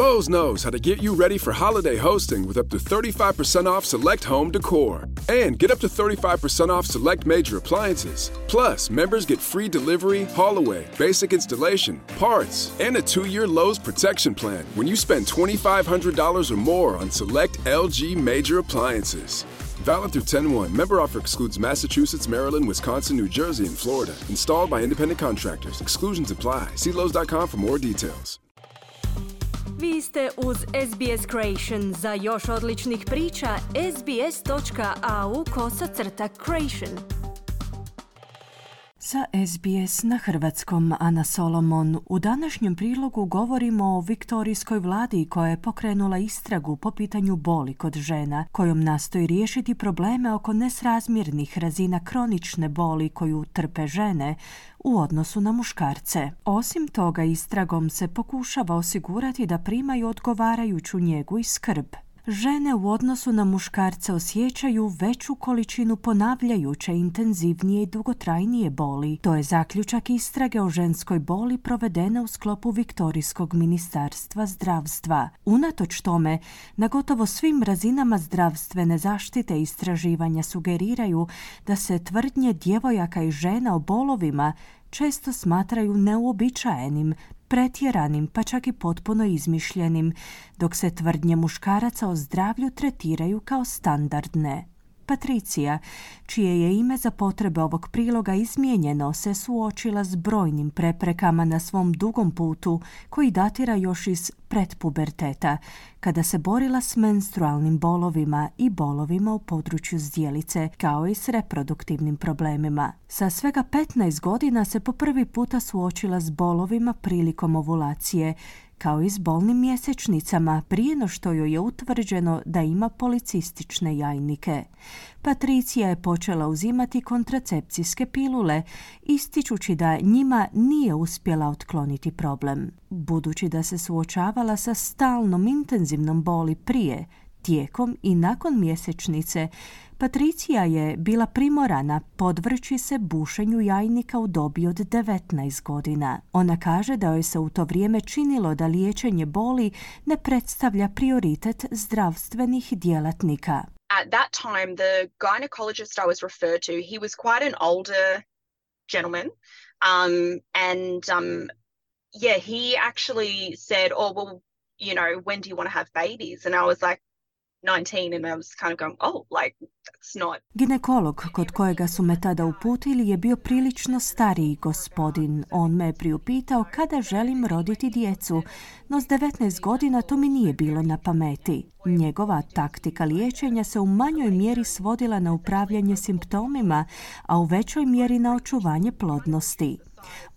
Lowe's knows how to get you ready for holiday hosting with up to 35% off select home decor. And get up to 35% off select major appliances. Plus, members get free delivery, haul away, basic installation, parts, and a 2-year Lowe's protection plan when you spend $2,500 or more on select LG major appliances. Valid through 10/1. Member offer excludes Massachusetts, Maryland, Wisconsin, New Jersey, and Florida. Installed by independent contractors. Exclusions apply. See Lowe's.com for more details. Vi ste uz SBS Creation. Za još odličnih priča, sbs.au/creation. Za SBS na hrvatskom, Ana Solomon. U današnjem prilogu govorimo o viktorijskoj vladi koja je pokrenula istragu po pitanju boli kod žena, kojom nastoji riješiti probleme oko nesrazmjernih razina kronične boli koju trpe žene u odnosu na muškarce. Osim toga, istragom se pokušava osigurati da primaju odgovarajuću njegu i skrb. Žene u odnosu na muškarce osjećaju veću količinu ponavljajuće, intenzivnije i dugotrajnije boli. To je zaključak istrage o ženskoj boli provedene u sklopu Viktorijskog ministarstva zdravstva. Unatoč tome, na gotovo svim razinama zdravstvene zaštite istraživanja sugeriraju da se tvrdnje djevojaka i žena o bolovima često smatraju neuobičajenim, pretjeranim, pa čak i potpuno izmišljenim, dok se tvrdnje muškaraca o zdravlju tretiraju kao standardne. Patricija, čije je ime za potrebe ovog priloga izmijenjeno, se suočila s brojnim preprekama na svom dugom putu koji datira još iz pretpuberteta, kada se borila s menstrualnim bolovima i bolovima u području zdjelice, kao i s reproduktivnim problemima. Sa svega 15 godina se po prvi puta suočila s bolovima prilikom ovulacije, kao i s bolnim mjesečnicama prije no što joj je utvrđeno da ima policistične jajnike. Patricija je počela uzimati kontracepcijske pilule, ističući da njima nije uspjela otkloniti problem. Budući da se suočavala sa stalnom intenzivnom boli prije, tijekom i nakon mjesečnice, Patricija je bila primorana podvrći se bušenju jajnika u dobi od 19 godina. Ona kaže da joj se u to vrijeme činilo da liječenje boli ne predstavlja prioritet zdravstvenih djelatnika. At that time, the gynecologist I was referred to, he was quite an older gentleman, he actually said, "Oh, well, you know, when do you want to have babies?" And I was like 19 and I was kind of going, oh, like, that's not... Ginekolog kod kojega su me tada uputili je bio prilično stariji gospodin. On me je priupitao kada želim roditi djecu, no s 19 godina to mi nije bilo na pameti. Njegova taktika liječenja se u manjoj mjeri svodila na upravljanje simptomima, a u većoj mjeri na očuvanje plodnosti.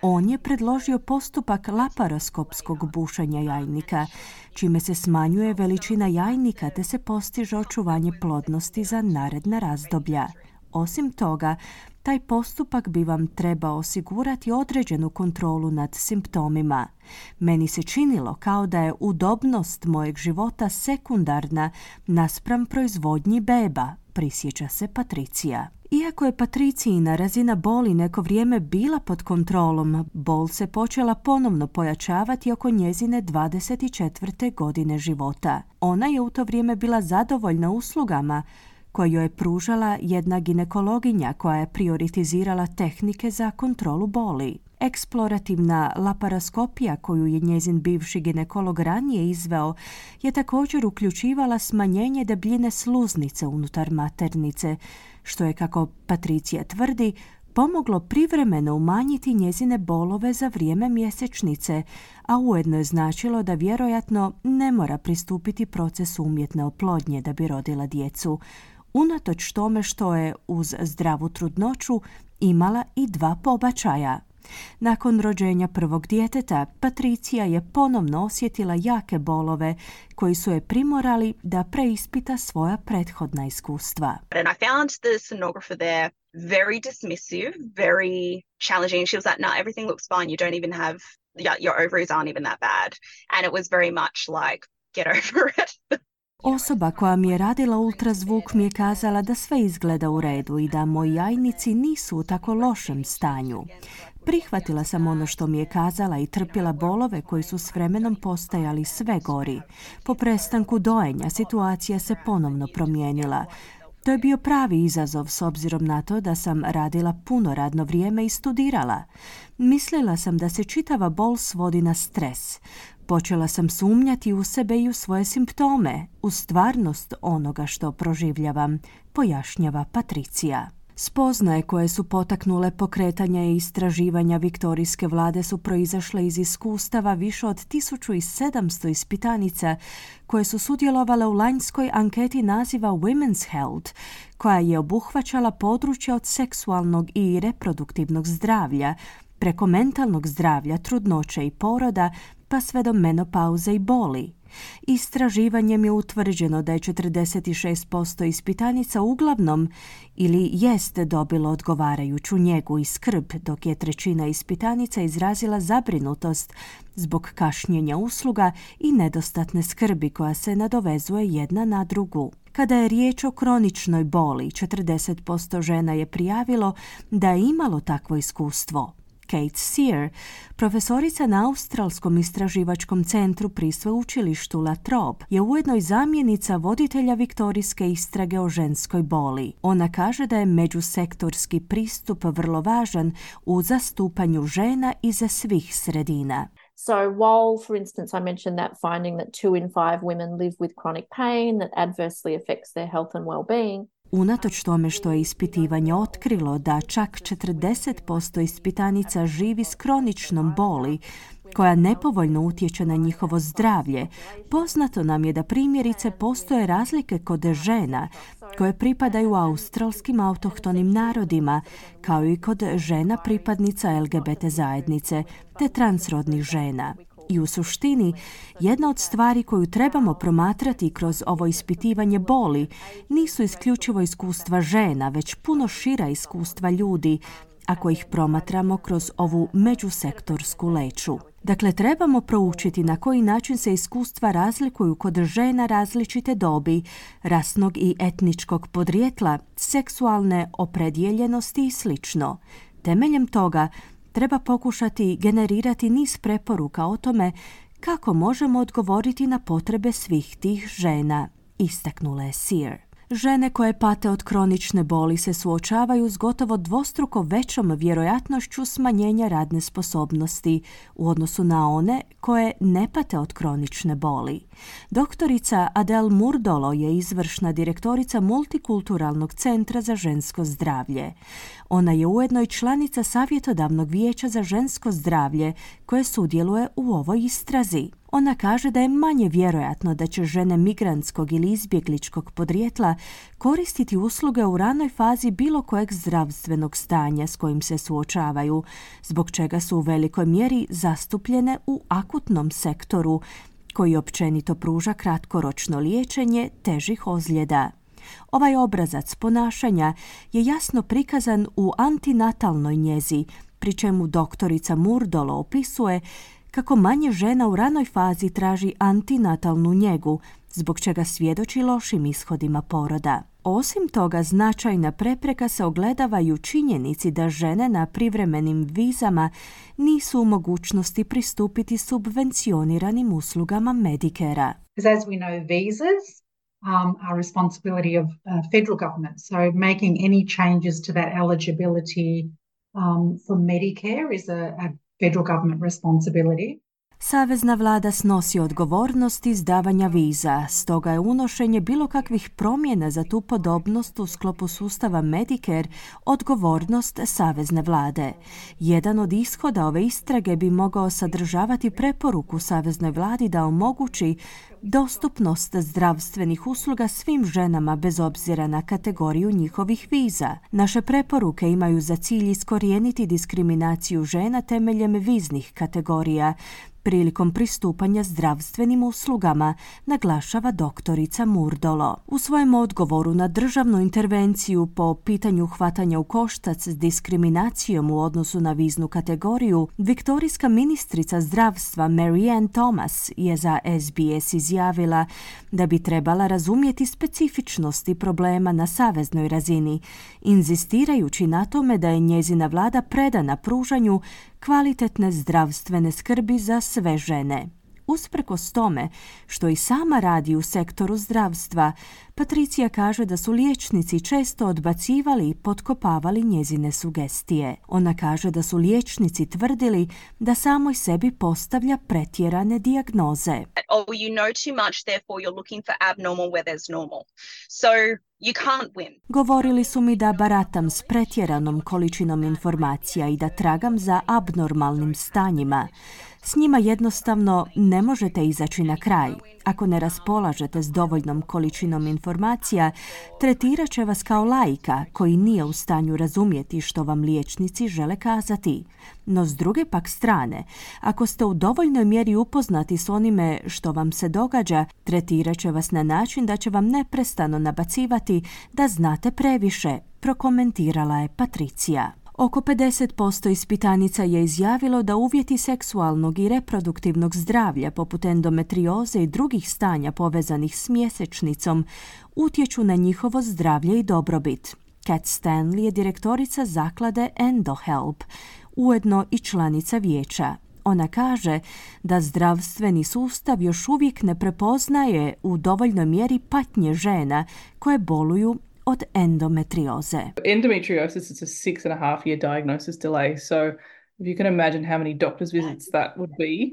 On je predložio postupak laparoskopskog bušenja jajnika, čime se smanjuje veličina jajnika te se postiže očuvanje plodnosti za naredna razdoblja. Osim toga, taj postupak bi vam trebao osigurati određenu kontrolu nad simptomima. Meni se činilo kao da je udobnost mojeg života sekundarna naspram proizvodnji beba, prisjeća se Patricija. Iako je Patricijina razina boli neko vrijeme bila pod kontrolom, bol se počela ponovno pojačavati oko njezine 24. godine života. Ona je u to vrijeme bila zadovoljna uslugama koje joj je pružala jedna ginekologinja koja je prioritizirala tehnike za kontrolu boli. Eksplorativna laparoskopija koju je njezin bivši ginekolog ranije izveo je također uključivala smanjenje debljine sluznice unutar maternice, što je, kako Patricija tvrdi, pomoglo privremeno umanjiti njezine bolove za vrijeme mjesečnice, a ujedno je značilo da vjerojatno ne mora pristupiti procesu umjetne oplodnje da bi rodila djecu, unatoč tome što je uz zdravu trudnoću imala i 2 pobačaja. Nakon rođenja prvog djeteta, Patricija je ponovno osjetila jake bolove koji su je primorali da preispita svoja prethodna iskustva. And I found the sonographer there very dismissive, very challenging. She was like, no, everything looks fine. You don't even have, your ovaries aren't even that bad. And it was very much like, get over it. Osoba koja mi je radila ultrazvuk mi je kazala da sve izgleda u redu i da moji jajnici nisu u tako lošem stanju. Prihvatila sam ono što mi je kazala i trpila bolove koji su s vremenom postajali sve gori. Po prestanku dojenja situacija se ponovno promijenila. To je bio pravi izazov s obzirom na to da sam radila puno radno vrijeme i studirala. Mislila sam da se čitava bol svodi na stres. Počela sam sumnjati u sebe i u svoje simptome, u stvarnost onoga što proživljavam, pojašnjava Patricija. Spoznaje koje su potaknule pokretanje i istraživanja viktorijske vlade su proizašle iz iskustava više od 1700 ispitanica koje su sudjelovale u lanjskoj anketi naziva Women's Health, koja je obuhvaćala područja od seksualnog i reproduktivnog zdravlja, preko mentalnog zdravlja, trudnoće i poroda, pa sve do menopauze i boli. Istraživanjem je utvrđeno da je 46% ispitanica uglavnom ili jest dobilo odgovarajuću njegu i skrb, dok je 1/3 ispitanica izrazila zabrinutost zbog kašnjenja usluga i nedostatne skrbi koja se nadovezuje jedna na drugu. Kada je riječ o kroničnoj boli, 40% žena je prijavilo da je imalo takvo iskustvo. Kate Sear, profesorica na Australskom istraživačkom centru pri sveučilištu La Trobe, je ujedno i zamjenica voditelja viktorijske istrage o ženskoj boli. Ona kaže da je međusektorski pristup vrlo važan u zastupanju žena iz svih sredina. So while, for instance, I mentioned that finding that 2 in 5 women live with chronic pain that adversely affects their health and well-being, unatoč tome što je ispitivanje otkrilo da čak 40% ispitanica živi s kroničnom boli koja nepovoljno utječe na njihovo zdravlje, poznato nam je da primjerice postoje razlike kod žena koje pripadaju australskim autohtonim narodima, kao i kod žena pripadnica LGBT zajednice te transrodnih žena. I u suštini, jedna od stvari koju trebamo promatrati kroz ovo ispitivanje boli nisu isključivo iskustva žena, već puno šira iskustva ljudi, ako ih promatramo kroz ovu međusektorsku leću. Dakle, trebamo proučiti na koji način se iskustva razlikuju kod žena različite dobi, rasnog i etničkog podrijetla, seksualne opredjeljenosti i sl. Temeljem toga treba pokušati generirati niz preporuka o tome kako možemo odgovoriti na potrebe svih tih žena, istaknula je Sear. Žene koje pate od kronične boli se suočavaju s gotovo dvostruko većom vjerojatnošću smanjenja radne sposobnosti u odnosu na one koje ne pate od kronične boli. Doktorica Adele Murdolo je izvršna direktorica Multikulturalnog centra za žensko zdravlje. Ona je ujedno i članica Savjetodavnog vijeća za žensko zdravlje koje sudjeluje u ovoj istrazi. Ona kaže da je manje vjerojatno da će žene migrantskog ili izbjegličkog podrijetla koristiti usluge u ranoj fazi bilo kojeg zdravstvenog stanja s kojim se suočavaju, zbog čega su u velikoj mjeri zastupljene u akutnom sektoru, koji općenito pruža kratkoročno liječenje težih ozljeda. Ovaj obrazac ponašanja je jasno prikazan u antinatalnoj njezi, pri čemu doktorica Murdolo opisuje kako manje žena u ranoj fazi traži antinatalnu njegu, zbog čega svjedoči lošim ishodima poroda. Osim toga, značajna prepreka se ogledava i u činjenici da žene na privremenim vizama nisu u mogućnosti pristupiti subvencioniranim uslugama Medicare-a. As we know, visas are responsibility of federal government, so making any changes to that eligibility for Medicare is a federal government responsibility. Savezna vlada snosi odgovornost izdavanja viza, stoga je unošenje bilo kakvih promjena za tu podobnost u sklopu sustava Medicare odgovornost savezne vlade. Jedan od ishoda ove istrage bi mogao sadržavati preporuku saveznoj vladi da omogući dostupnost zdravstvenih usluga svim ženama bez obzira na kategoriju njihovih viza. Naše preporuke imaju za cilj iskorijeniti diskriminaciju žena temeljem viznih kategorija, prilikom pristupanja zdravstvenim uslugama, naglašava doktorica Murdolo. U svojem odgovoru na državnu intervenciju po pitanju hvatanja u koštac s diskriminacijom u odnosu na viznu kategoriju, viktorijska ministrica zdravstva Marianne Thomas je za SBS izjavila da bi trebala razumjeti specifičnosti problema na saveznoj razini, inzistirajući na tome da je njezina vlada predana pružanju kvalitetne zdravstvene skrbi za sve žene. Usprkos tome što i sama radi u sektoru zdravstva, Patricija kaže da su liječnici često odbacivali i potkopavali njezine sugestije. Ona kaže da su liječnici tvrdili da samoj sebi postavlja pretjerane dijagnoze. Oh, you know too much, therefore you're looking for abnormal where there's normal. So you can't win. Govorili su mi da baratam s pretjeranom količinom informacija i da tragam za abnormalnim stanjima. S njima jednostavno ne možete izaći na kraj. Ako ne raspolažete s dovoljnom količinom informacija, tretirat će vas kao laika koji nije u stanju razumjeti što vam liječnici žele kazati. No s druge pak strane, ako ste u dovoljnoj mjeri upoznati s onime što vam se događa, tretirat će vas na način da će vam neprestano nabacivati da znate previše, prokomentirala je Patricija. Oko 50% ispitanica je izjavilo da uvjeti seksualnog i reproduktivnog zdravlja poput endometrioze i drugih stanja povezanih s mjesečnicom utječu na njihovo zdravlje i dobrobit. Kat Stanley je direktorica zaklade EndoHelp, ujedno i članica vijeća. Ona kaže da zdravstveni sustav još uvijek ne prepoznaje u dovoljnoj mjeri patnje žena koje boluju od endometrioze. Endometriosis is a 6.5-year diagnosis delay. So if you can imagine how many doctor's visits that would be,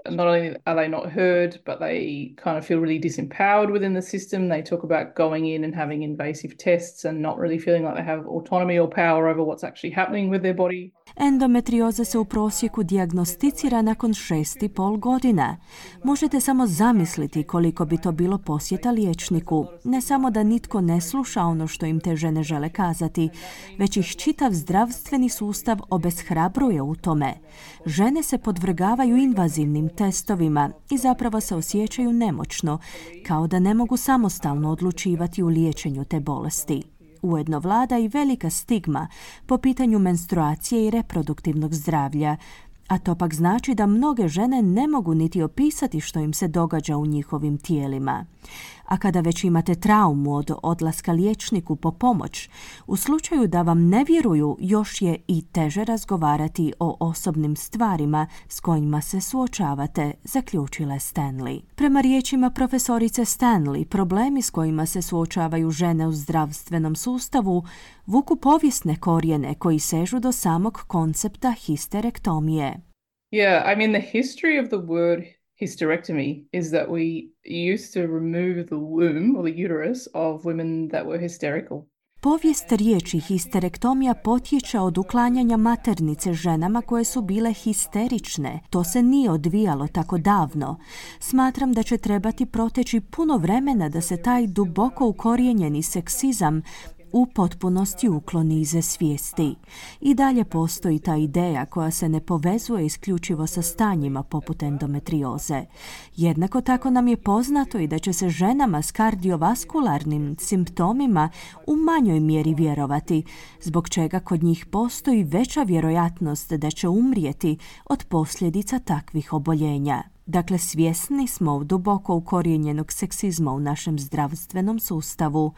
not only are they not heard, but they kind of feel really disempowered within the system. They talk about going in and having invasive tests and not really feeling like they have autonomy or power over what's actually happening with their body. Endometrioza se u prosjeku dijagnosticira nakon 6,5 godina. Možete samo zamisliti koliko bi to bilo posjeta liječniku. Ne samo da nitko ne sluša ono što im te žene žele kazati, već ih čitav zdravstveni sustav obeshrabruje u tome. Žene se podvrgavaju invazivnim testovima i zapravo se osjećaju nemoćno, kao da ne mogu samostalno odlučivati u liječenju te bolesti. Ujedno vlada i velika stigma po pitanju menstruacije i reproduktivnog zdravlja, a to pak znači da mnoge žene ne mogu niti opisati što im se događa u njihovim tijelima. A kada već imate traumu od odlaska liječniku po pomoć, u slučaju da vam ne vjeruju, još je i teže razgovarati o osobnim stvarima s kojima se suočavate, zaključila je Stanley. Prema riječima profesorice Stanley, problemi s kojima se suočavaju žene u zdravstvenom sustavu vuku povijesne korijene koji sežu do samog koncepta histerektomije. Yeah, I mean the history of the word hysterectomy is that we used to remove the womb or the uterus of women that were hysterical. Povijest riječi histerektomija potječe od uklanjanja maternice ženama koje su bile histerične. To se nije odvijalo tako davno. Smatram da će trebati proteći puno vremena da se taj duboko ukorijenjeni seksizam u potpunosti ukloni iz svijesti. I dalje postoji ta ideja koja se ne povezuje isključivo sa stanjima poput endometrioze. Jednako tako nam je poznato i da će se ženama s kardiovaskularnim simptomima u manjoj mjeri vjerovati, zbog čega kod njih postoji veća vjerojatnost da će umrijeti od posljedica takvih oboljenja. Dakle, svjesni smo duboko ukorijenjenog seksizma u našem zdravstvenom sustavu.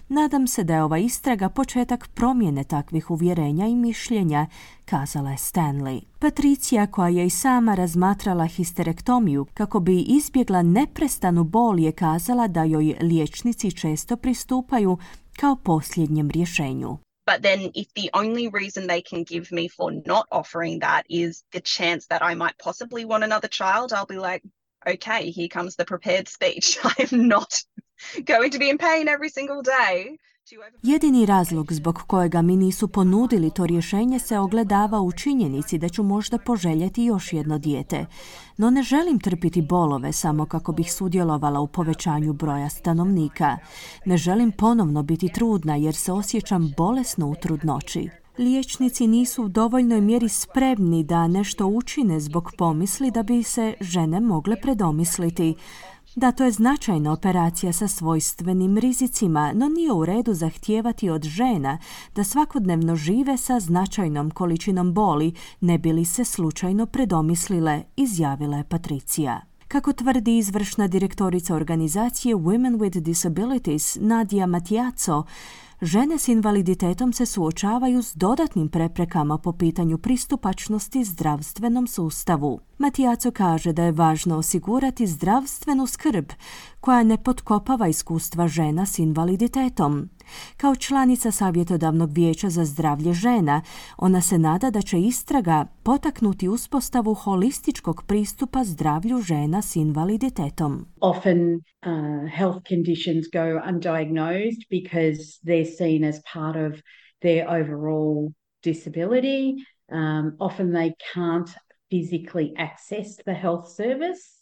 Nadam se da je ova istraga početak promjene takvih uvjerenja i mišljenja, kazala je Stanley. Patricija, koja je i sama razmatrala histerektomiju kako bi izbjegla neprestanu bol, je kazala da joj liječnici često pristupaju kao posljednjem rješenju. But then if the only reason they can give me for not offering that is the chance that I might possibly want another child, I'll be like, okay, here comes the prepared speech. I am not going to be in pain every single day. Jedini razlog zbog kojega mi nisu ponudili to rješenje se ogledava u činjenici da ću možda poželjeti još jedno dijete. No ne želim trpiti bolove samo kako bih sudjelovala u povećanju broja stanovnika. Ne želim ponovno biti trudna jer se osjećam bolesno u trudnoći. Liječnici nisu u dovoljnoj mjeri spremni da nešto učine zbog pomisli da bi se žene mogle predomisliti. Da, to je značajna operacija sa svojstvenim rizicima, no nije u redu zahtijevati od žena da svakodnevno žive sa značajnom količinom boli, ne bi li se slučajno predomislile, izjavila je Patricija. Kako tvrdi izvršna direktorica organizacije Women with Disabilities Nadia Matiazo, žene s invaliditetom se suočavaju s dodatnim preprekama po pitanju pristupačnosti zdravstvenom sustavu. Matiazo kaže da je važno osigurati zdravstvenu skrb koja ne potkopava iskustva žena s invaliditetom. Kao članica Savjetodavnog vijeća za zdravlje žena, ona se nada da će istraga potaknuti uspostavu holističkog pristupa zdravlju žena s invaliditetom. Often health conditions go undiagnosed because they're seen as part of their overall disability. Often they can't physically access the health service.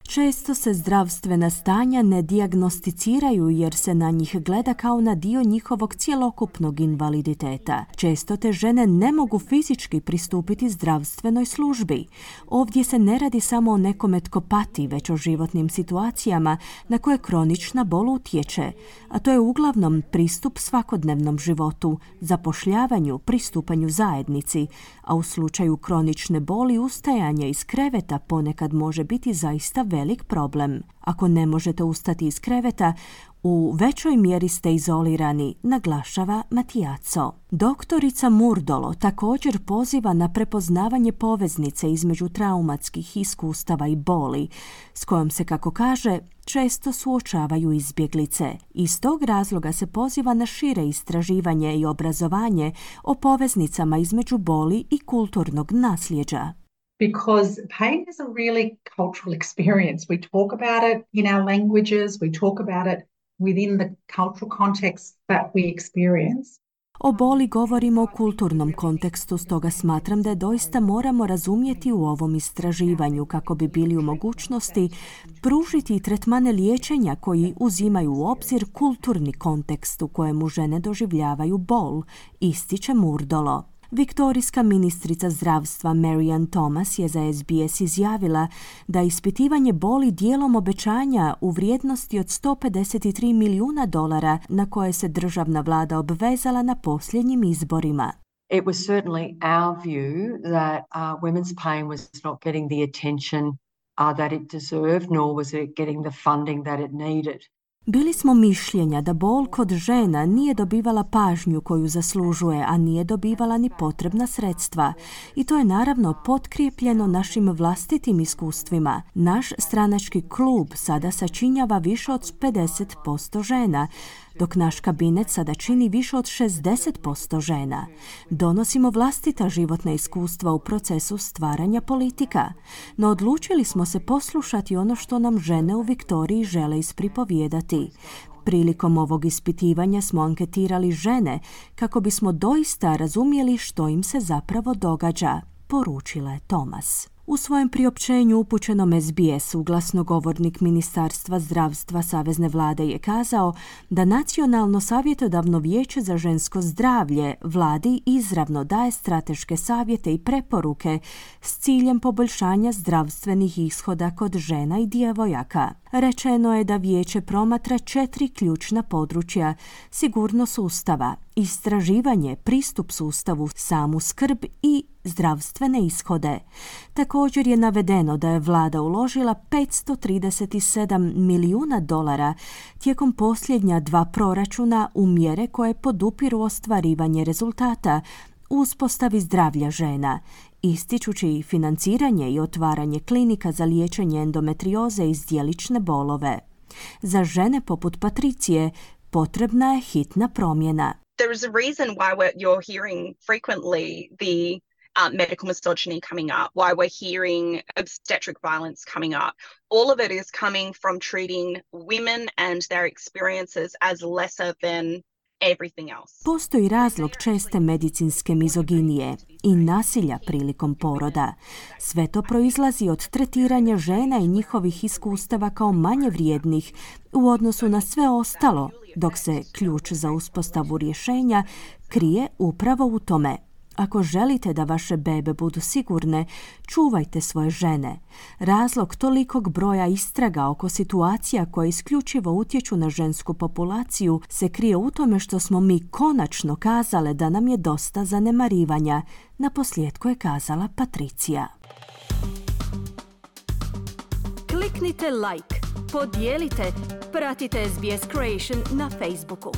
Često se zdravstvena stanja ne dijagnosticiraju jer se na njih gleda kao na dio njihovog cjelokupnog invaliditeta. Često te žene ne mogu fizički pristupiti zdravstvenoj službi. Ovdje se ne radi samo o nekome tko pati, već o životnim situacijama na koje kronična bol utječe, a to je uglavnom pristup svakodnevnom životu, zapošljavanju, pristupanju zajednici, a u slučaju kronične boli ustajanje iz kreveta ponekad može biti zaista velik problem. Ako ne možete ustati iz kreveta, u većoj mjeri ste izolirani, naglašava Matiazo. Doktorica Murdolo također poziva na prepoznavanje poveznice između traumatskih iskustava i boli, s kojom se, kako kaže, često suočavaju izbjeglice. Iz tog razloga se poziva na šire istraživanje i obrazovanje o poveznicama između boli i kulturnog nasljeđa. Because pain is a really cultural experience. We talk about it in our languages, we talk about it within the cultural context that we experience. O boli govorimo u kulturnom kontekstu, stoga smatram da je doista moramo razumjeti u ovom istraživanju kako bi bili u mogućnosti pružiti tretmane liječenja koji uzimaju u obzir kulturni kontekst u kojemu žene doživljavaju bol, ističe Murdolo. Viktorijska ministrica zdravstva Marianne Thomas je za SBS izjavila da ispitivanje boli dijelom obećanja u vrijednosti od $153 milijuna na koje se državna vlada obvezala na posljednjim izborima. It was certainly our view that women's pain was not getting the attention that it deserved, nor was it getting the funding that it needed. Bili smo mišljenja da bol kod žena nije dobivala pažnju koju zaslužuje, a nije dobivala ni potrebna sredstva. I to je naravno potkrijepljeno našim vlastitim iskustvima. Naš stranački klub sada sačinjava više od 50% žena, dok naš kabinet sada čini više od 60% žena. Donosimo vlastita životna iskustva u procesu stvaranja politika, no odlučili smo se poslušati ono što nam žene u Viktoriji žele ispripovijedati. Prilikom ovog ispitivanja smo anketirali žene kako bismo doista razumjeli što im se zapravo događa, poručila je Thomas. U svojem priopćenju upućenom SBS-u glasnogovornik Ministarstva zdravstva Savezne vlade je kazao da Nacionalno savjetodavno vijeće za žensko zdravlje vladi izravno daje strateške savjete i preporuke s ciljem poboljšanja zdravstvenih ishoda kod žena i djevojaka. Rečeno je da vijeće promatra 4 ključna područja: sigurnost sustava, istraživanje, pristup sustavu, samu skrb i zdravstvene ishode. Također je navedeno da je vlada uložila $537 milijuna tijekom posljednja 2 proračuna u mjere koje podupiru ostvarivanje rezultata u uspostavi zdravlja žena, ističući financiranje i otvaranje klinika za liječenje endometrioze i zdjelične bolove. Za žene poput Patricije potrebna je hitna promjena. There is a reason why you're hearing frequently the medical misogyny coming up, why we're hearing obstetric violence coming up. All of it is coming from treating women and their experiences as lesser than everything else. Postoji razlog česte medicinske mizoginije i nasilja prilikom poroda. Sve to proizlazi od tretiranja žena i njihovih iskustava kao manje vrijednih u odnosu na sve ostalo, dok se ključ za uspostavu rješenja krije upravo u tome. Ako želite da vaše bebe budu sigurne, čuvajte svoje žene. Razlog tolikog broja istraga oko situacija koje isključivo utječu na žensku populaciju se krije u tome što smo mi konačno kazale da nam je dosta zanemarivanja, naposljetku je kazala Patricija. Kliknite like, podijelite, pratite SBS Creation na Facebooku.